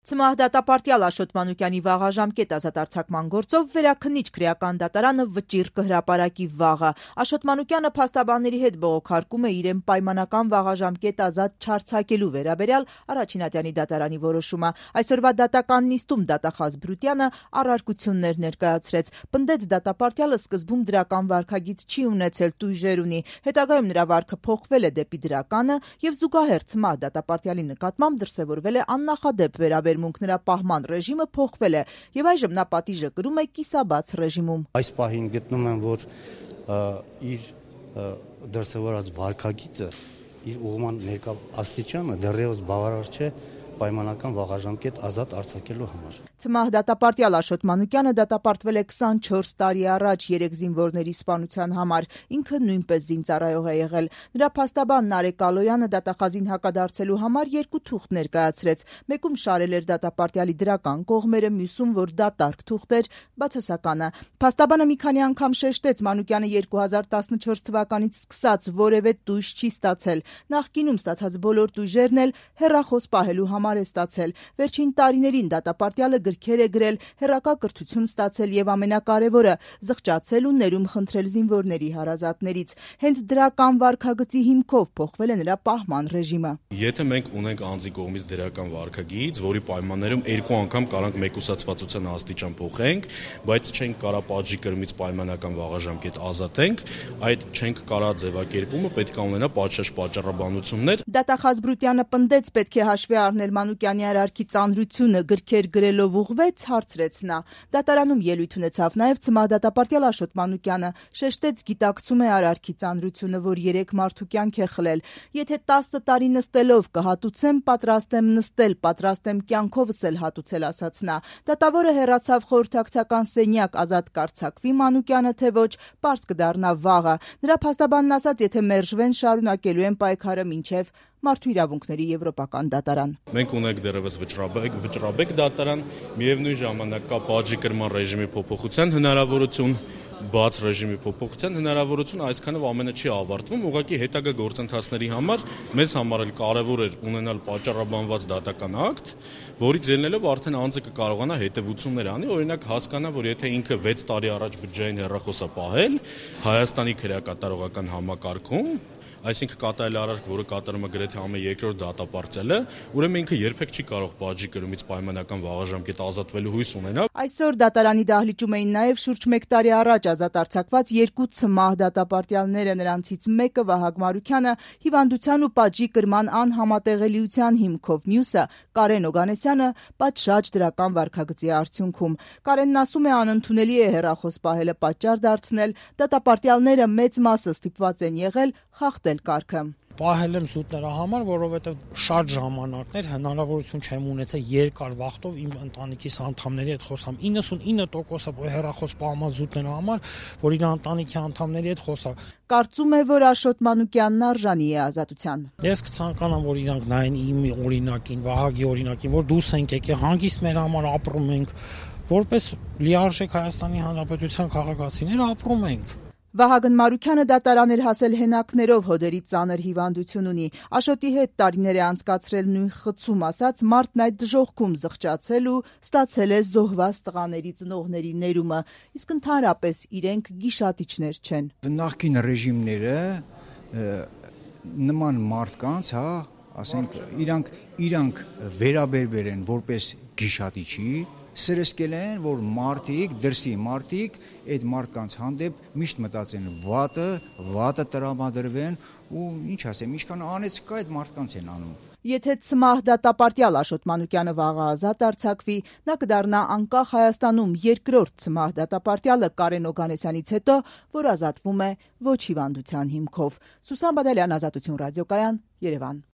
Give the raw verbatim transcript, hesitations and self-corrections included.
Ցմահ դատապարտյալ Աշոտ Մանուկյանի վաղաժամկետ ազատարձակման գործով վերաքննիչ քրեական դատարանը վճիռ կհրապարակի վաղը։ Աշոտ Մանուկյանը փաստաբանների հետ բողոքարկում է իրեն պայմանական վաղաժամկետ ազատ չարձակելու վերաբերյալ Առաջին դատարանի որոշումը։ Այսօրվա դատական նիստում դատախազ Բրուտյանը առարկություններ ներկայացրեց։ Պնդեց դատապարտյալը սկզբում դրական վարքագիծ չի ունեցել, տույժեր ունի, հետագայում նրա վարքը փոխվել է դեպի դրականը եւ զուգահեռ Ցմահ դատապարտյալի նկատմամբ դրսեւորվել է աննախադեպ վերաբերմունք, նրա պահման ռեժիմը փոխվել է եւ այժմ նա պատիժը կրում է կիսաբաց ռեժիմում։ Այս պահին գտնում եմ, որ իր դրսևորած վարքագիծը, իր ուղղման ներկա աստիճանը դեռևս բավարար չէ պայմանական վաղաժամկետ ազատ արձակելու համար։ Ցմահ դատապարտյալ Աշոտ Մանուկյանը դատապարտվել է քսանչորս տարի առաջ երեք զինվորների սպանության համար, ինքը նույնպես զինծառայող է եղել։ Նրա փաստաբան Նարեկ Ալոյանը դատախազին հակադարձելու համար երկու թուղթ ներկայացրեց։ Մեկում շարել էր դատապարտյալի դրական կողմերը, մյուսում, որ դատարկ թուղթ էր բացասականը։ Փաստաբանը մի քանի անգամ շեշտեց, Մանուկյանը երկու հազար տասնչորս թվականից սկսած որևէ տույժ չի ստացել։ Նախկինում ստացած բոլոր տույժերն էլ հեռախոս պահելու համար է ստացել։ Վերջին տարիներին դատապարտյալը գրքեր է գրել, հեռակա կրթություն ստացել եւ ամենակարևորը զղջացել ու ներում խնդրել զինվորների հարազատներից։ Հենց դրական վարքագծի հիմքով փոխվել է նրա պահման ռեժիմը։ Եթե մենք ունենք անձի կողմից դրական վարքագիծ, որի պայմաններում երկու անգամ կարանք մեկուսացվածության աստիճան փոխենք, բայց չենք կարա պատժի կրմից պայմանական վաղաժամկետ ազատենք, այդ չենք կարա ձևակերպումը պետք է ունենա պատշաճ պատճառաբանություններ։ Դատախազ Բրուտյանը պնդեց, պետք է հաշվի առնել Մանուկյանի արարքի ծանրությունը, գրքեր գրելով ուղղվեց, հարցրեց նա։ Դատարանում ելույթ ունեցավ նաև Ցմահ դատապարտյալ Աշոտ Մանուկյանը, շեշտեց, գիտակցում է արարքի ծանրությունը, որ երեք մարդու կյանք է խլել։ Եթե տասը տարի նստելով կհատուցեմ, պատրաստ եմ նստել, պատրաստ եմ կյանքովս էլ հատուցել, ասաց նա։ Դատավորը հեռացավ խորհրդակցական սենյակ, ազատ կարձակվի Մանուկյանը, թե ոչ, պարզ կդառնա վաղը։ Նրա փաստաբանն ասաց, եթե մերժվեն, շարունակելու են պայքարը մինչև Մարդու իրավունքների եվրոպական դատարան։ Մենք ունենք դեռևս վճռաբեկ, վճռաբեկ դատարան, միևնույն ժամանակ կա պատժի կրման ռեժիմի փոփոխության հնարավորություն, բաց ռեժիմի փոփոխության հնարավորություն, այսքանով ամենը չի ավարտվում, ուղղակի հետագա գործընթացների համար մեզ համար էլ կարևոր էր ունենալ պատճառաբանված դատական ակտ, որից ելնելով արդեն անձը կկարողանա հետևություններ անի, օրինակ հասկանա, որ եթե ինքը վեց տարի առաջ բջջային հեռախոս է պահել Հայաստանի քրեակատարողական համակարգում, այսինքն կատարել արարք, որը կատարում է գրեթե ամեն երկրորդ դատապարտյալը, ուրեմն ինքը երբեք չի կարող պատժի կրմից պայմանական վաղաժամկետ ազատվելու հույս ունենալ։ Այսօր դատարանի դահլիճում էին նաև շուրջ մեկ տարի առաջ ազատ արձակված երկու Ցմահ դատապարտյալները, նրանցից մեկը Վահագ Մարուքյանը հիվանդության ու պատժի կրման անհամատեղելիության հիմքով, մյուսը Կարեն Օգանեսյանը պատշաճ դրական վարքագծի արդյունքում։ Կարենն ասում է, անընդունելի է հեռախոս պահելը պատճառ դարձնել, դատապարտյալները մեծ մասը ստիպված են եղել խախտել կարգը։ Պահել եմ զուտ նրա համար, որովհետև շատ ժամանակներ հնարավորություն չեմ ունեցել երկար վախտով իմ ընտանիքիս անդամների հետ խոսամ։ իննսունինը տոկոսը հեռախոս պահման զուտ նրա համար, որ իր ընտանիքի անդամների հետ խոսա։ Կարծում է, որ Աշոտ Մանուկյանն արժանի է ազատության։ Ես կցանկանամ, որ իրանք նայեն իմ օրինակին, Վահագի օրինակին, որ դուրս ենք եկել, հանգիստ մեր համար ապրում ենք, որպես լիարժեք Հայաստանի Հանրապետության քաղաքացիներ ապրում ենք։ Վահագն Մարուքյանը դատարան էր հասել հենակներով, հոդերի ծանր հիվանդություն ունի։ Աշոտի հետ տարիներ է անցկացրել նույն խցում, ասած մարդն այդ դժոխքում զղջացել ու ստացել է զոհված տղաների ծնողների ներումը, իսկ ընդհանրապես իրենք գիշատիչներ չեն։ Նախկին ռեժիմները նման մարդկանց, հա, ասենք, իրանք իրանք վերաբերվել են որպես գիշատիչի, սրսկել են, որ մարդիկ, դրսի մարդիկ այդ մարդկանց հանդեպ միշտ մտածեն վատը, վատը տրամադրվեն ու ինչ ասեմ, ինչքան անեց կա այդ մարդկանց են անում։ Եթե Ցմահ դատապարտյալ Աշոտ Մանուկյանը վաղը ազատ արձակվի, նա կդառնա անկախ Հայաստանում երկրորդ Ցմահ դատապարտյալը Կարեն Օգանեսյանից հետո, որ ազատվում է ոչ հիվանդության հիմքով։ Սուսան Բադալյան, Ազատություն ռադիոկայան, Երևան։